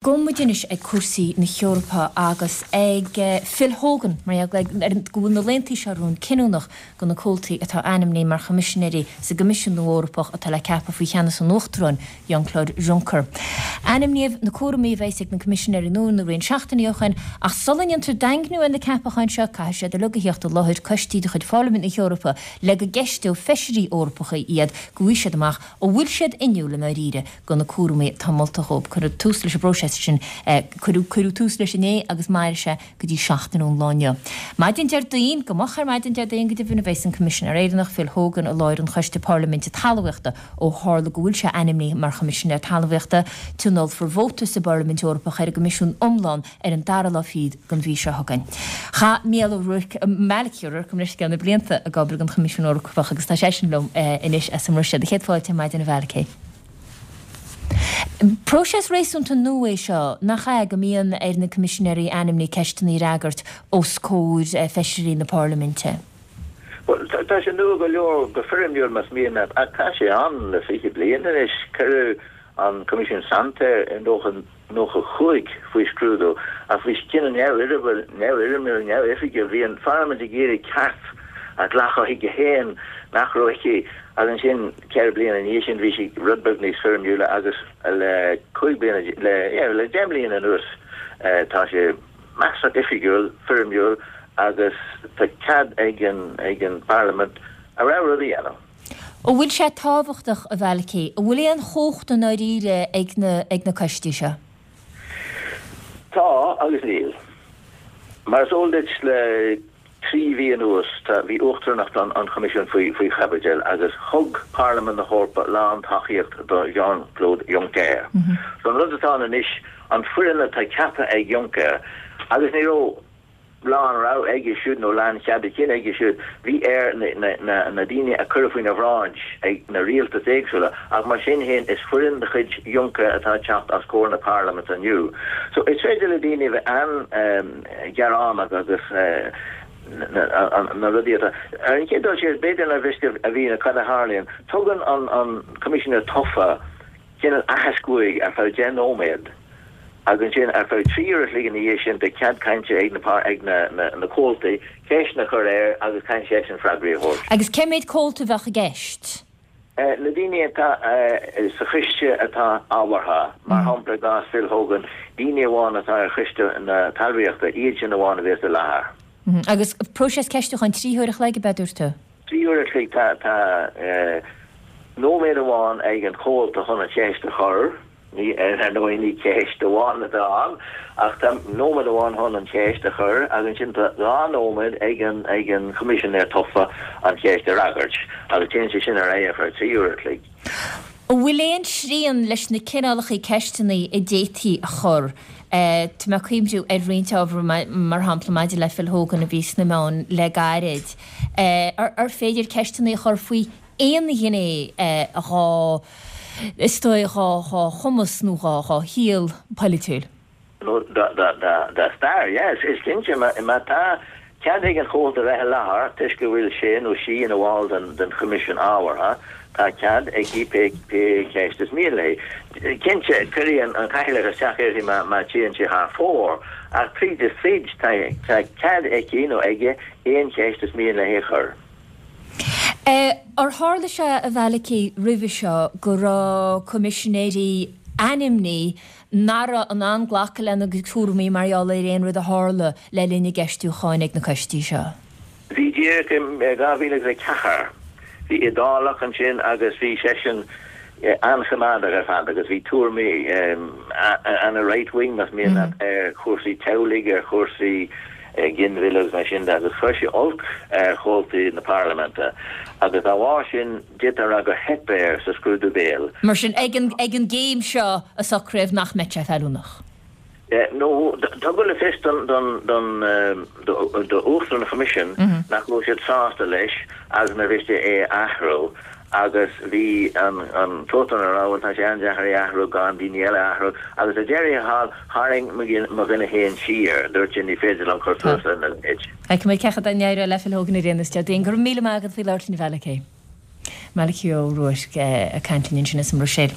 Gabhfaidh muid anois ag cúrsaí na hEorpa agus ag Phil Hogan, mar gheall ar go bhfuil na laethanta seo romhainn cinniúnach do na comhaltaí atá ainmnithe mar Choimisinéirí sa gCoimisiún nua Eorpach atá le ceapadh faoi cheannas an Uachtaráin, Jean-Claude Juncker. Ainmníodh na cúraimí a bheas ag na Coimisinéirí nua na roinnt seachtainí ó shin, ach sula ndéantar daingniú ar na ceapacháin seo, caithfidh siad uilig a theacht i láthair coistí de chuid Pharlaimint na hEorpa le go gceisteoidh feisirí Eorpacha iad go bhfaighidh siad amach an bhfuil siad inniúil i ndáiríre do na cúraimí atá molta dhóibh. Cuireadh tús leis an bpróiseas sin, cuireadh, cuireadh tús leis inné agus mairfidh sé go dtí seachtain ón lá inniu. Maidin Déardaoin, go moch ar maidin Déardaoin go deimhin, a bheas an Coimisinéir Éireannach, Phil Hogan, i láthair an Choiste Parlaiminte Talmhaíochta ó tharla go bhfuil sé ainmnithe mar Choimisinéir Talmhaíochta. Tionólfar vóta sa bParlaimint Eorpach ar an gCoimisiún iomlán ar an dara lá fichead den mhí seo chugainn. Chaith Mícheál Ó Ruairc, Malachy Ó Ruairc, gabh mo leithscéal, na blianta ag obair don Choimisiún Eorpach agus tá seisean liom anois as an mBruiséil. Céad fáilte ar maidin a Mhalachy. Próiseas réasúnta nua é seo, nach ea, go mbíonn ar na Coimisinéirí ainmnithe ceisteanna a fhreagairt os comhair feisirí na Parlaiminte? Bhuel, tá sé nua go leor go foirmiúil más mian leat, ach tá sé ann le 20 bliain anois. Cuireadh an Coimisiún Santer i 95 faoi scrúdú, ach bhí cinneadh neamhfhoirmiúil, neamhoifigiúil. Bhí an Pharlaimint ag iarraidh ceart a ghlacadh chuici féin nach raibh aici agus ansin 4 bliana ina dhiaidh sin bhí sé rud beag níos foirmiúla agus le 5 bliana, le, yeah, le 10 mbliana anuas tá sé measartha oifigiúil, foirmiúil agus tá cead ag an, ag an bParlaimint a rogha rud a dhéanamh. An bhfuil sé tábhachtach, a Mhalachy? An bhfuil aon chumhacht i ndáiríre ag na, ag na coistí seo? Tá agus níl. Mar is eol duit le 3 mhí anuas, tá, bhí uachtaránacht an Choimisiúin faoi, faoi chaibidil agus thug Parlaimint na hEorpa lán-tacaíocht do Jean-Claude Juncker. So an rud atá ann anois, an foireann atá ceaptha ag Juncker, agus ní raibh lán-rogha aige siúd nó lánchead a chinn aige siúd, bhí air na, na, na, na daoine a cuireadh faoina bhráid ag na rialtais éagsúla, ach mar sin féin is foireann de chuid Juncker atá ag teacht os comhair na Parlaiminte inniu. So is féidir le daoine a bheith an, gearánach agus na rudaí atá. Ar an chéad dul síos, b'fhéidir nár mhiste a mhíniú cad a tharlaíonn. Tugann an Coimisinéir tofa cineál aitheasc uaidh ar feadh 10 nóiméad agus ansin ar feadh 3 uair a chloig ina dhiaidh sin beidh cead cainte ag na na comhaltaí ceisteanna a chur air agus caithfidh seisean freagraí a thabhairt. Agus cé mhéad comhalta a bheadh i gceist? Na daoine atá sa choiste atá ábhartha, mar shampla i gcás Phil Hogan, daoine amháin atá ar choiste na talmhaíochta, iad sin amháin a bheas i láthair. Agus próiseas ceistiúcháin 3 huair a chloig, ab ea, dúirt tú? 3 uair a chloig. Tá nóiméad amháin ag an chomhalta chun an cheist a chur. Ní, ar ndóigh, ní ceist amháin atá ann, ach tá nóiméad amháin chun an cheist a chur agus ansin tá 2 nóiméad ag an ag an Choimisinéir tofa an cheist a fhreagairt agus téann sé sin ar aghaidh ar feadh 3 uair a chloig. An bhfuil aon srian leis na cineálacha ceisteanna a d'fhéadfaí a chur? Tá mé ag cuimhniú ar roinnt ábhar, mar shampla maidir le Phil Hogan a bhí sna meáin le gairid. Ar féidir ceisteanna a chur faoi aon ghné dhá, is dóigh, dhá, dhá chumas nó dhá, dhá shaol polaitiúil. nó dá, dá, dá, dá stair. Yeah, is cinnte, má, má tá cead ag an chomhalta bheith i láthair toisc go bhfuil sé nó sí ina bhall den, den choimisiún ábhartha, tá cead aici pé, pé ceist is mian léi. Cinnte, cuirfidh an, an cathaoirleach isteach uirthi má, má téann sé thar fóir, ach tríd is tríd, tá, tá cead aici nó aige aon cheist is mian léi a chur. Ar tharla sé, a Mhalachy, roimhe seo go raibh coimisinéirí ainmnithe nach raibh in ann glacadh lena gcuid cúraimí mar gheall ar aon rud a tharla le linn a gceistiúcháin ag na coistí seo? Bhí díreach i 2004. Bhí Iodálach ansin agus bhí seisean an-choimeádach ar fad agus bhí tuairimí ana-right wing, más mian leat, ar chúrsaí teaghlaigh, ar chúrsaí ginmhilleadh agus mar sin de agus chuir sé olc ar chomhaltaí na parlaiminte agus dá bharr sin d'fhéadfá a rá gur theip air sa scrúdú béil. Mar sin, ag an gcéim seo a socraíodh nach mbeadh sé feiliúnach. Nó tugadh le fios don d'Uachtarán an Choimisiúin nach raibh siad sásta leis agus nár mhiste é a athrú agus bhí an t-uachtarán ag rá bhuel tá sé an-deacair é a athrú gan daoine eile a athrú agus ar deireadh thall tharraing mo dhuine féin siar, dúirt sé ní féidir liom cur suas lena leithéid. Feicfimid cén chaoi a n-éireoidh le Phil Hogan ar aon nós Déardaoin. Go raibh míle maith agat faoi labhairt linn a Mhalachy. Malachy Ó Ruairc ag caint linn ansin as an mBruiséil.